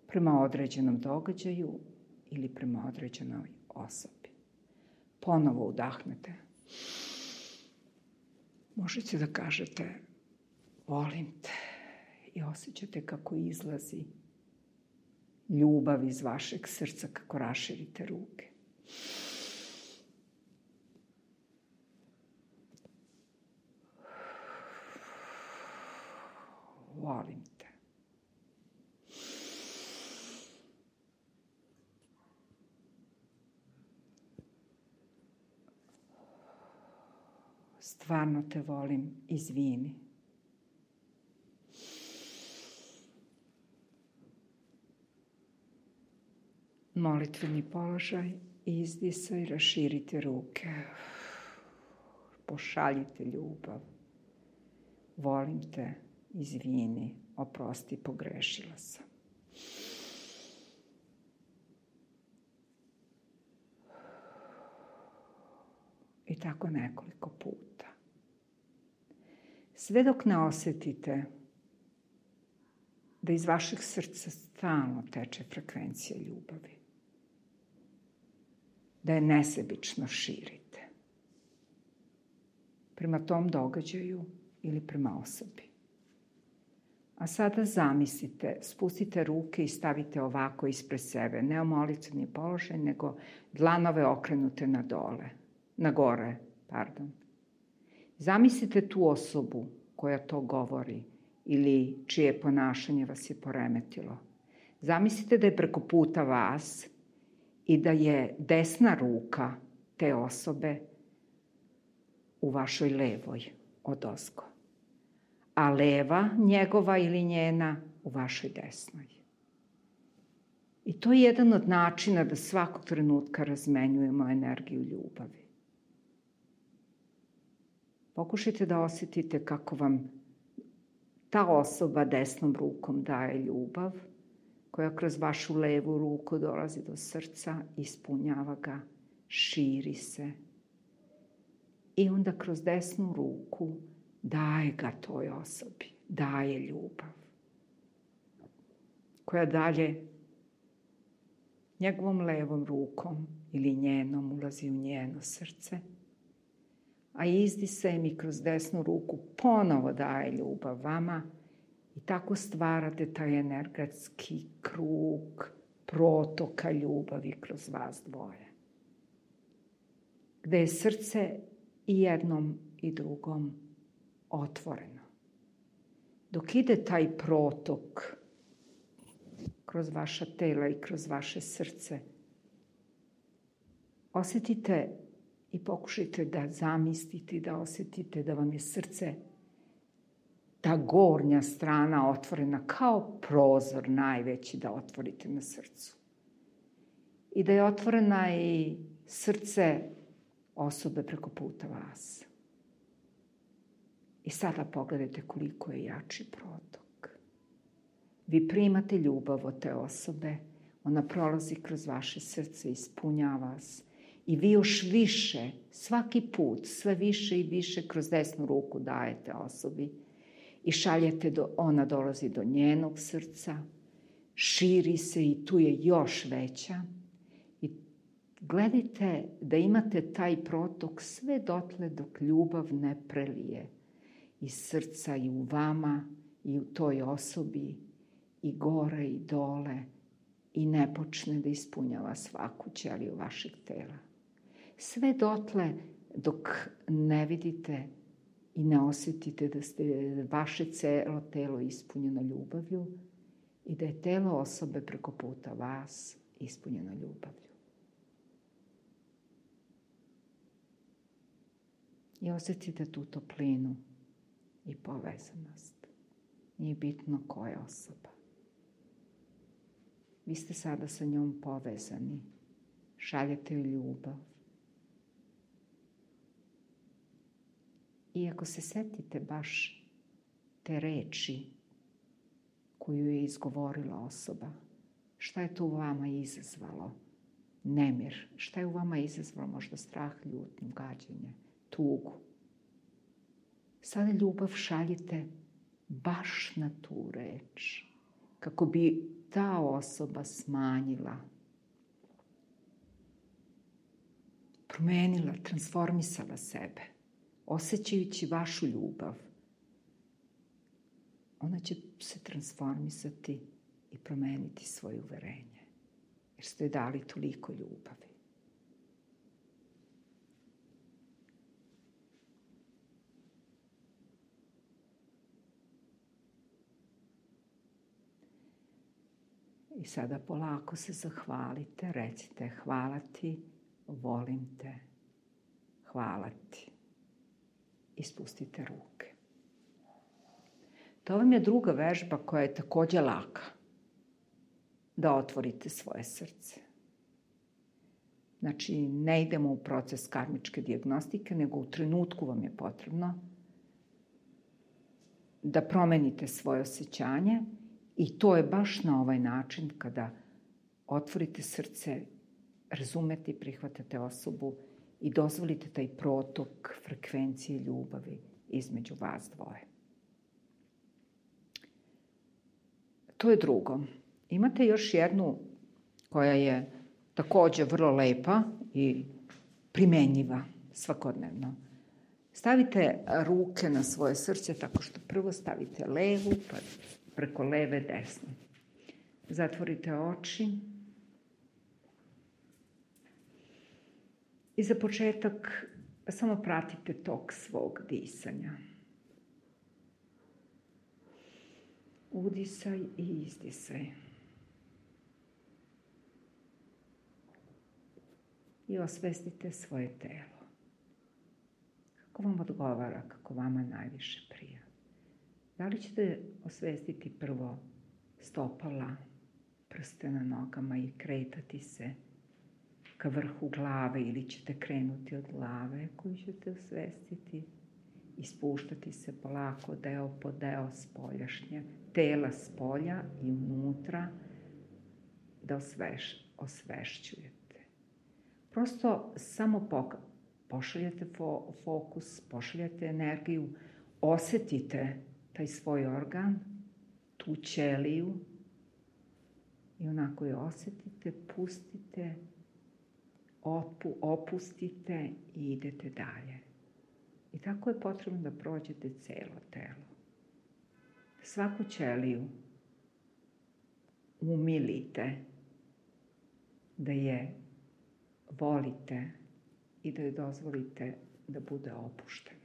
Prema određenom događaju ili prema određenoj osobi. Ponovo udahnete. Možete da kažete volim te i osjećate kako izlazi ljubav iz vašeg srca kako raširite ruke. Volim te. Stvarno te volim, izvini. Molitveni položaj, izdisaj, raširite ruke. Pošaljite ljubav. Volim te, izvini, oprosti, pogrešila sam. I tako nekoliko puta. Sve dok ne osetite da iz vašeg srca stalno teče frekvencija ljubavi. Da je nesebično širite. Prema tom događaju ili prema osobi. A sada zamislite, spustite ruke i stavite ovako ispred sebe. Ne u molitveni položaj, nego dlanove okrenute na gore. Zamislite tu osobu koja to govori ili čije ponašanje vas je poremetilo. Zamislite da je preko puta vas i da je desna ruka te osobe u vašoj levoj odozgo, a leva njegova ili njena u vašoj desnoj. I to je jedan od načina da svakog trenutka razmenjujemo energiju ljubavi. Pokušajte da osjetite kako vam ta osoba desnom rukom daje ljubav, koja kroz vašu levu ruku dolazi do srca, ispunjava ga, širi se. I onda kroz desnu ruku daje ga toj osobi, daje ljubav, koja dalje njegovom levom rukom ili njenom ulazi u njeno srce, a izdisajem i kroz desnu ruku ponovo daje ljubav vama i tako stvarate taj energetski krug protoka ljubavi kroz vas dvoje. Gde je srce i jednom i drugom otvoreno. Dok ide taj protok kroz vaša tela i kroz vaše srce, osjetite i pokušajte da zamislite i da osjetite da vam je srce, ta gornja strana otvorena kao prozor najveći da otvorite na srcu. I da je otvorena i srce osobe preko puta vas. I sada pogledajte koliko je jači protok. Vi primate ljubav od te osobe, ona prolazi kroz vaše srce, ispunjava vas. I vi još više, svaki put, sve više i više kroz desnu ruku dajete osobi i šaljete, ona dolazi do njenog srca širi se i tu je još veća. I gledajte da imate taj protok sve dotle dok ljubav ne prelije iz srca i u vama i u toj osobi i gore i dole i ne počne da ispunjava svaku ćeliju vašeg tela. Sve dotle dok ne vidite i ne osjetite da ste vaše celo telo ispunjeno ljubavlju i da je telo osobe preko puta vas ispunjeno ljubavlju. I osjetite tu toplinu i povezanost. Nije bitno koja je osoba. Vi ste sada sa njom povezani. Šaljete joj ljubav. I ako se setite baš te reči koju je izgovorila osoba, šta je to u vama izazvalo? Nemir. Šta je u vama izazvalo? Možda strah, ljutnju, gađenje, tugu. Sada ljubav šaljite baš na tu reč, kako bi ta osoba smanjila, promenila, transformisala sebe, osjećajući vašu ljubav. Ona će se transformisati i promeniti svoje uverenje, jer ste joj dali toliko ljubavi. I sada polako se zahvalite, recite hvala ti, volim te, hvala ti. I spustite ruke. To vam je druga vežba koja je takođe laka. Da otvorite svoje srce. Znači, ne idemo u proces karmičke dijagnostike, nego u trenutku vam je potrebno da promenite svoje osjećanje i to je baš na ovaj način kada otvorite srce, razumete i prihvatate osobu i dozvolite taj protok frekvencije ljubavi između vas dvoje. To je drugo. Imate još jednu koja je takođe vrlo lepa i primenjiva svakodnevno. Stavite ruke na svoje srce tako što prvo stavite levu, pa preko leve desnu. Zatvorite oči. I za početak samo pratite tok svog disanja. Udisaj i izdisaj. I osvestite svoje telo. Kako vam odgovara, kako vama najviše prija. Da li ćete osvestiti prvo stopala, prste na nogama i kretati se ka vrhu glave ili ćete krenuti od glave koju ćete osvestiti i spuštati se polako deo po deo spoljašnje, tela spolja i unutra da osvešćujete. Prosto samo pošaljete fokus, pošaljete energiju, osetite taj svoj organ, tu ćeliju i onako je osetite, pustite, opustite i idete dalje. I tako je potrebno da prođete celo telo. Svaku ćeliju umilite, da je volite i da joj dozvolite da bude opuštena.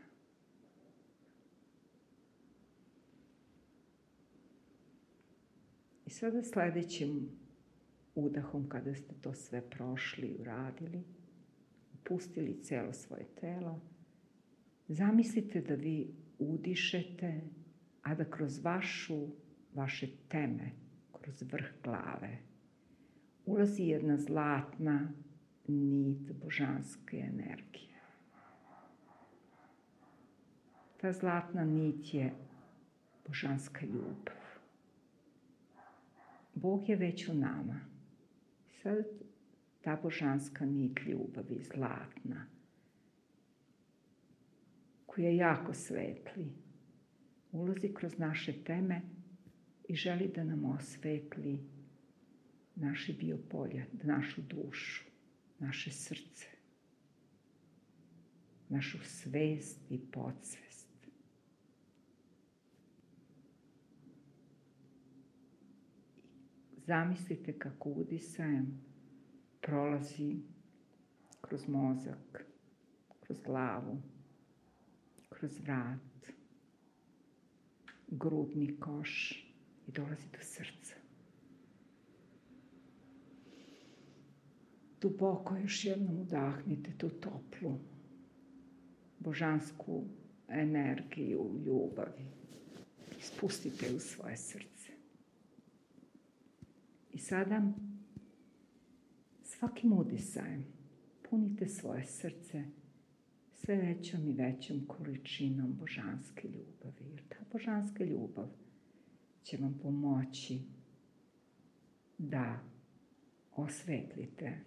I sada sledećim udahom, kada ste to sve prošli i uradili, opustili celo svoje telo, zamislite da vi udišete, a da kroz vaše teme, kroz vrh glave, ulazi jedna zlatna nit božanske energije. Ta zlatna nit je božanska ljubav. Bog je već u nama. Sad ta božanska nit ljubavi, zlatna, koja jako svetli, ulazi kroz naše teme i želi da nam osvetli naše biopolje, našu dušu, naše srce, našu svest i podsvest. Zamislite kako udisajem prolazi kroz mozak, kroz glavu, kroz vrat, grudni koš i dolazi do srca. Duboko još jednom udahnite tu toplu, božansku energiju ljubavi. Spustite u svoje srce. I sada svakim udisajem punite svoje srce sve većom i većom količinom božanske ljubavi. Jer ta božanska ljubav će vam pomoći da osvetlite,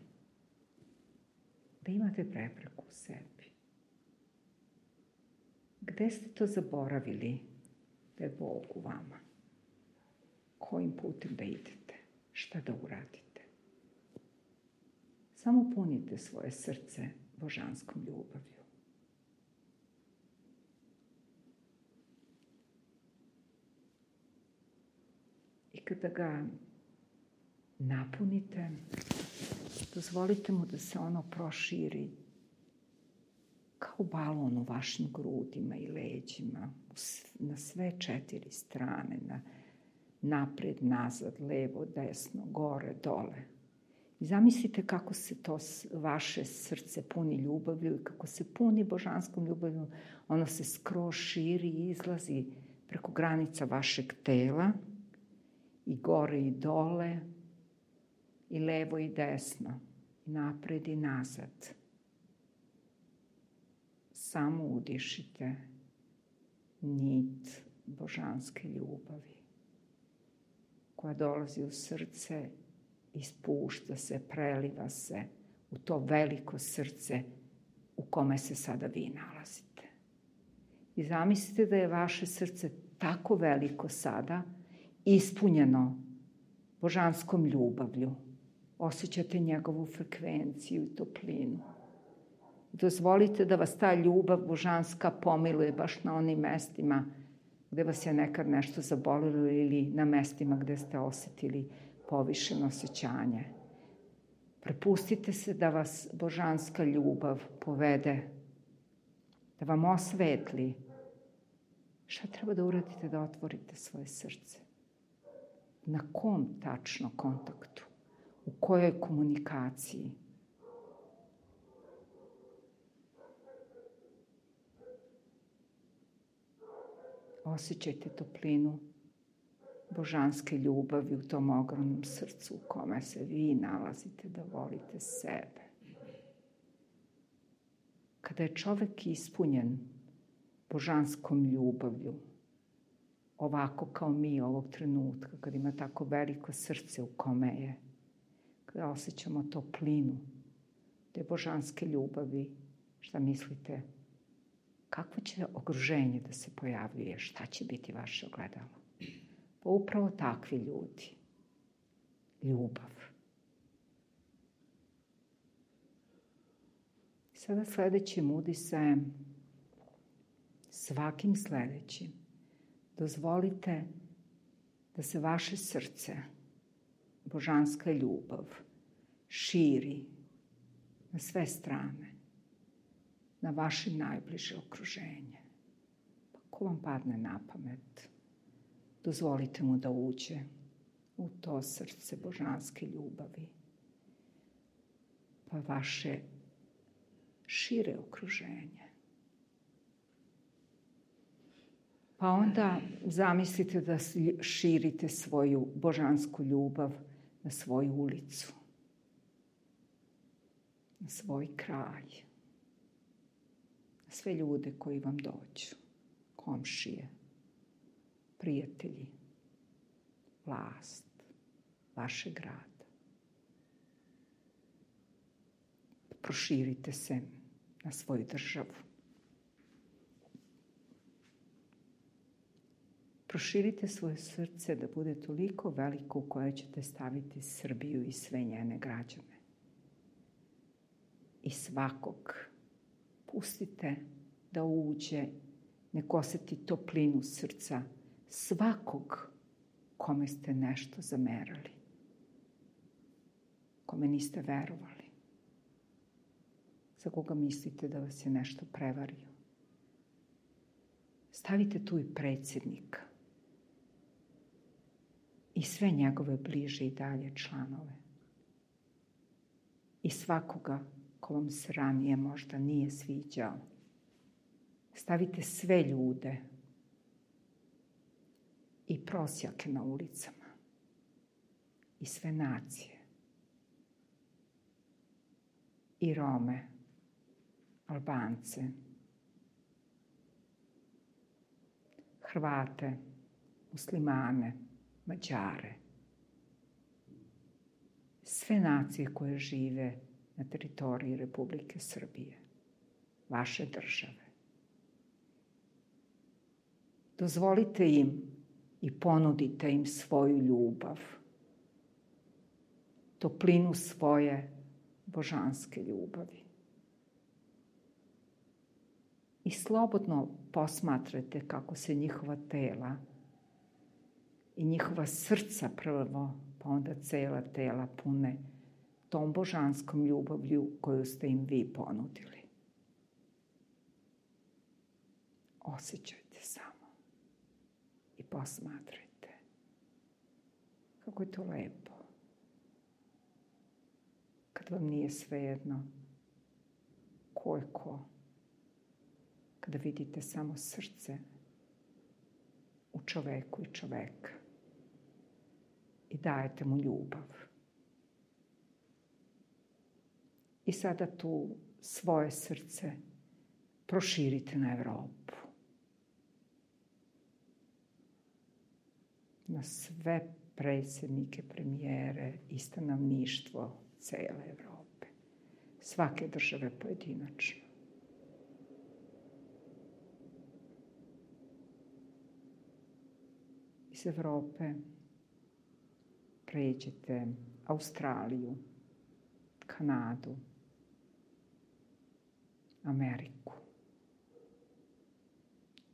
da imate prepreku u sebi. Gde ste to zaboravili da je Bog u vama? Kojim putem da idete? Šta da uradite? Samo punite svoje srce božanskom ljubavlju. I kada ga napunite, dozvolite mu da se ono proširi kao balon u vašim grudima i leđima, na sve 4 strane, napred, nazad, levo, desno, gore, dole. I zamislite kako se to vaše srce puni ljubavlju i kako se puni božanskom ljubavlju, ono se skroz širi i izlazi preko granica vašeg tela i gore i dole, i levo i desno, i napred i nazad. Samo udišite nit božanske ljubavi koja dolazi u srce i spušta se, preliva se u to veliko srce u kome se sada vi nalazite. I zamislite da je vaše srce tako veliko sada, ispunjeno božanskom ljubavlju. Osjećate njegovu frekvenciju i toplinu. Dozvolite da vas ta ljubav božanska pomiluje baš na onim mestima gde vas je nekad nešto zabolilo ili na mestima gde ste osetili povišeno osjećanje. Prepustite se da vas božanska ljubav povede, da vam osvetli. Šta treba da uradite da otvorite svoje srce? Na kom tačno kontaktu? U kojoj komunikaciji? Osjećajte toplinu božanske ljubavi u tom ogromnom srcu u kome se vi nalazite, da volite sebe. Kada je čovek ispunjen božanskom ljubavlju, ovako kao mi ovog trenutka, kada ima tako veliko srce u kome je, kada osjećamo toplinu te božanske ljubavi, šta mislite? Kakvo će okruženje da se pojavljuje? Šta će biti vaše ogledalo? Pa upravo takvi ljudi. Ljubav. Sada sledećim udisajem, svakim sledećim, dozvolite da se vaše srce, božanska ljubav, širi na sve strane, na vaše najbliže okruženje. Pa ko vam padne na pamet, dozvolite mu da uđe u to srce božanske ljubavi, pa vaše šire okruženje. Pa onda zamislite da širite svoju božansku ljubav na svoju ulicu, na svoj kraj, na sve ljude koji vam dođu, komšije, prijatelji, vlast vašeg grada. Proširite se na svoju državu. Proširite svoje srce da bude toliko veliko u koje ćete staviti Srbiju i sve njene građane. I svakog pustite da uđe, nek oseti toplinu srca svakog kome ste nešto zamerali, kome niste verovali, za koga mislite da vas je nešto prevario. Stavite tu i predsjednika i sve njegove bliže i dalje članove i svakoga ko vam se ranije možda nije sviđao. Stavite sve ljude i prosjake na ulicama i sve nacije i Rome, Albance, Hrvate, Muslimane, Mađare, sve nacije koje žive na teritoriji Republike Srbije, vaše države. Dozvolite im i ponudite im svoju ljubav, toplinu svoje božanske ljubavi. I slobodno posmatrajte kako se njihova tela i njihova srca prvo, pa onda cela tela pune tom božanskom ljubavlju koju ste im vi ponudili. Osjećajte samo i posmatrajte kako je to lepo. Kad vam nije svejedno ko je ko, kada vidite samo srce u čoveku i čoveka i dajete mu ljubav. I sada tu svoje srce proširite na Evropu. Na sve predsjednike, premijere i stanovništvo cele Evrope. Svake države pojedinačno. Iz Evrope pređete Australiju, Kanadu, Ameriku,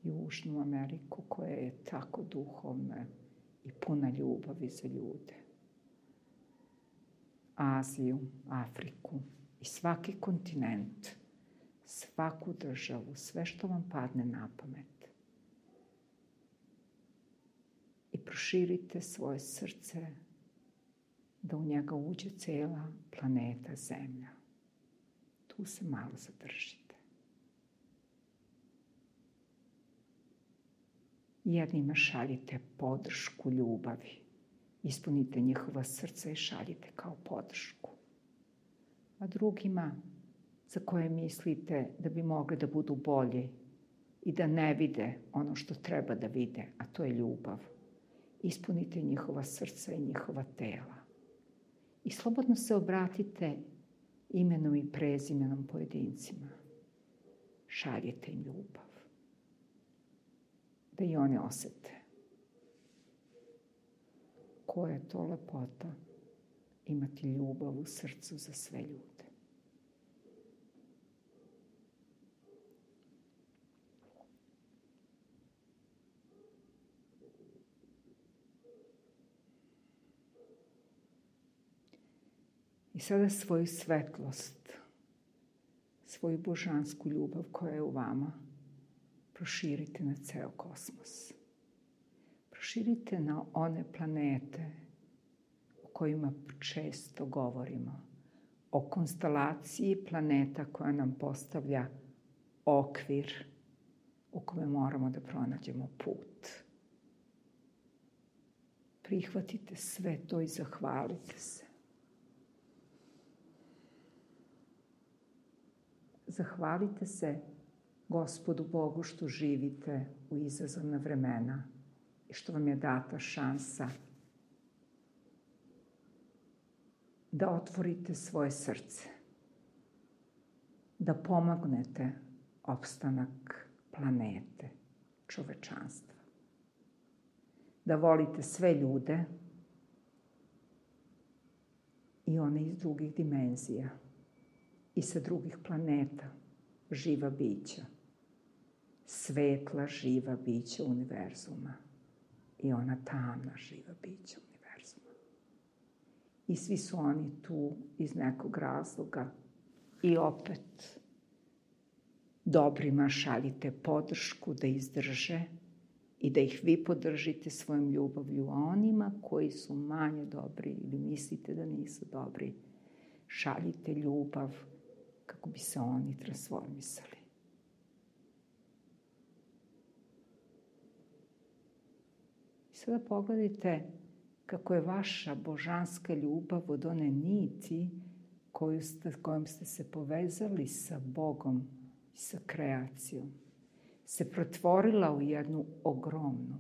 Južnu Ameriku koja je tako duhovna i puna ljubavi za ljude, Aziju, Afriku i svaki kontinent, svaku državu, sve što vam padne na pamet. I proširite svoje srce da u njega uđe cela planeta Zemlja. Tu se malo zadržite. Jednima šaljite podršku ljubavi. Ispunite njihova srca i šaljite kao podršku. A drugima za koje mislite da bi mogli da budu bolji i da ne vide ono što treba da vide, a to je ljubav. Ispunite njihova srca i njihova tela. I slobodno se obratite imenom i prezimenom pojedincima. Šaljite im ljubav. Da i oni osete. Koja je to lepota imati ljubav u srcu za sve ljude. I sada svoju svetlost, svoju božansku ljubav koja je u vama, proširite na ceo kosmos. Proširite na one planete o kojima često govorimo, o konstelaciji planeta koja nam postavlja okvir u kome moramo da pronađemo put. Prihvatite sve to i zahvalite se. Zahvalite se Gospodu Bogu što živite u izazovna vremena i što vam je data šansa da otvorite svoje srce, da pomognete opstanak planete, čovečanstva. da volite sve ljude i one iz drugih dimenzija i sa drugih planeta, živa bića, svetla živa bića univerzuma i ona tamna živa bića univerzuma. I svi su oni tu iz nekog razloga i opet dobrima šaljite podršku da izdrže i da ih vi podržite svojom ljubavlju, a onima koji su manje dobri ili mislite da nisu dobri, šaljite ljubav kako bi se oni transformisali. I sada pogledajte kako je vaša božanska ljubav od one niti kojom ste se povezali sa Bogom i sa kreacijom, se pretvorila u jednu ogromnu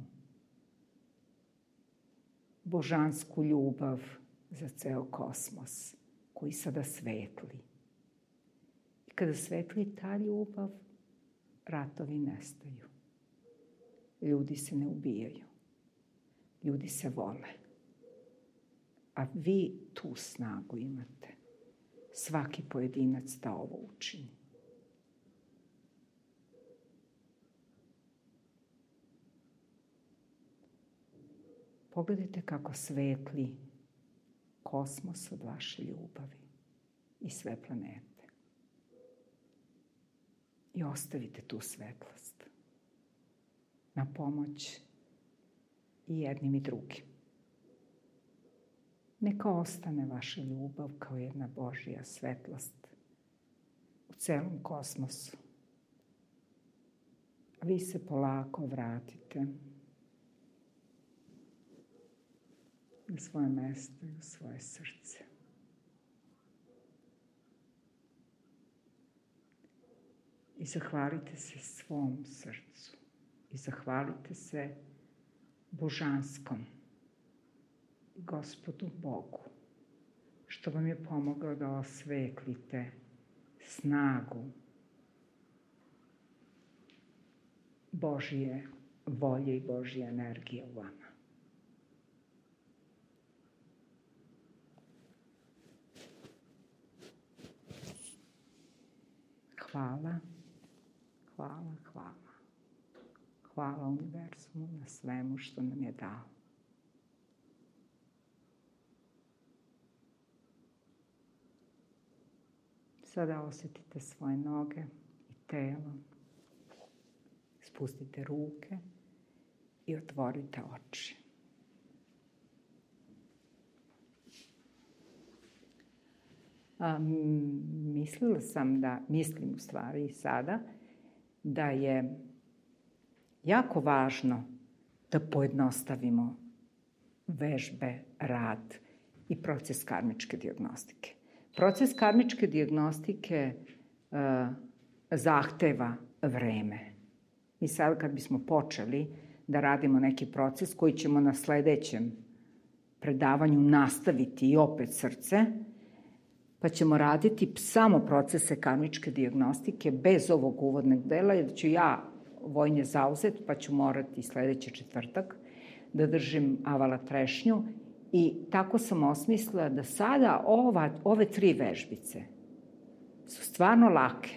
božansku ljubav za ceo kosmos, koji sada svetli. I kada svetli ta ljubav, ratovi nestaju. Ljudi se ne ubijaju. Ljudi se vole. A vi tu snagu imate. Svaki pojedinac da ovo učini. Pogledajte kako svetli kosmos od vaše ljubavi i sve planete. I ostavite tu svetlost na pomoć i jednim i drugim. Neka ostane vaša ljubav kao jedna Božja svetlost u celom kosmosu. A vi se polako vratite u svoje mesto i u svoje srce. I zahvalite se svom srcu. I zahvalite se božanskom i Gospodu Bogu, što vam je pomogao da osvetlite snagu Božje volje i Božje energije u vama. Hvala, hvala, hvala. Hvala univerzumu na svemu što nam je dao. Sada osjetite svoje noge i telo. Spustite ruke i otvorite oči. Mislim u stvari sada, da je jako važno da pojednostavimo vežbe, rad i proces karmičke dijagnostike. Proces karmičke dijagnostike zahteva vreme. Mi sad kad bismo počeli da radimo neki proces koji ćemo na sledećem predavanju nastaviti i opet srce, pa ćemo raditi samo procese karmičke dijagnostike bez ovog uvodnog dela, jer ću ja vojnje zauzet, pa ću morati sledeći četvrtak da držim avala trešnju. I tako sam osmislila da sada ove 3 vežbice su stvarno lake,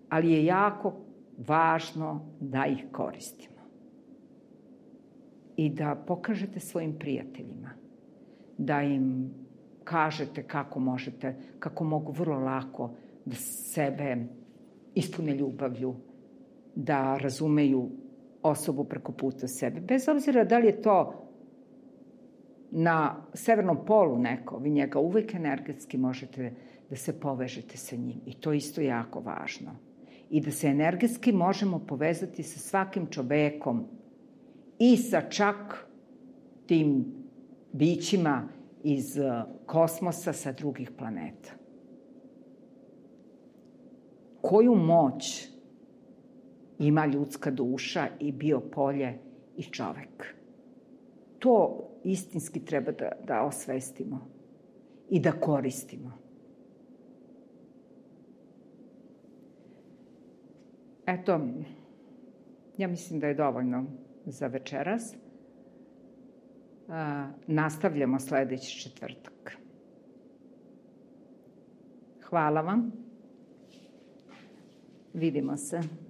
ali je jako važno da ih koristimo. I da pokažete svojim prijateljima, da im kažete kako mogu vrlo lako da sebe ispune ljubavlju, da razumeju osobu preko puta sebe. Bez obzira da li je to na severnom polu neko, vi njega uvek energetski možete da se povežete sa njim. I to isto jako važno. I da se energetski možemo povezati sa svakim čovekom i sa čak tim bićima iz kosmosa sa drugih planeta. Koju moć ima ljudska duša i biopolje i čovek? To istinski treba da osvestimo i da koristimo. Eto, ja mislim da je dovoljno za večeras. nastavljamo sledeći četvrtak. Hvala vam. Vidimo se.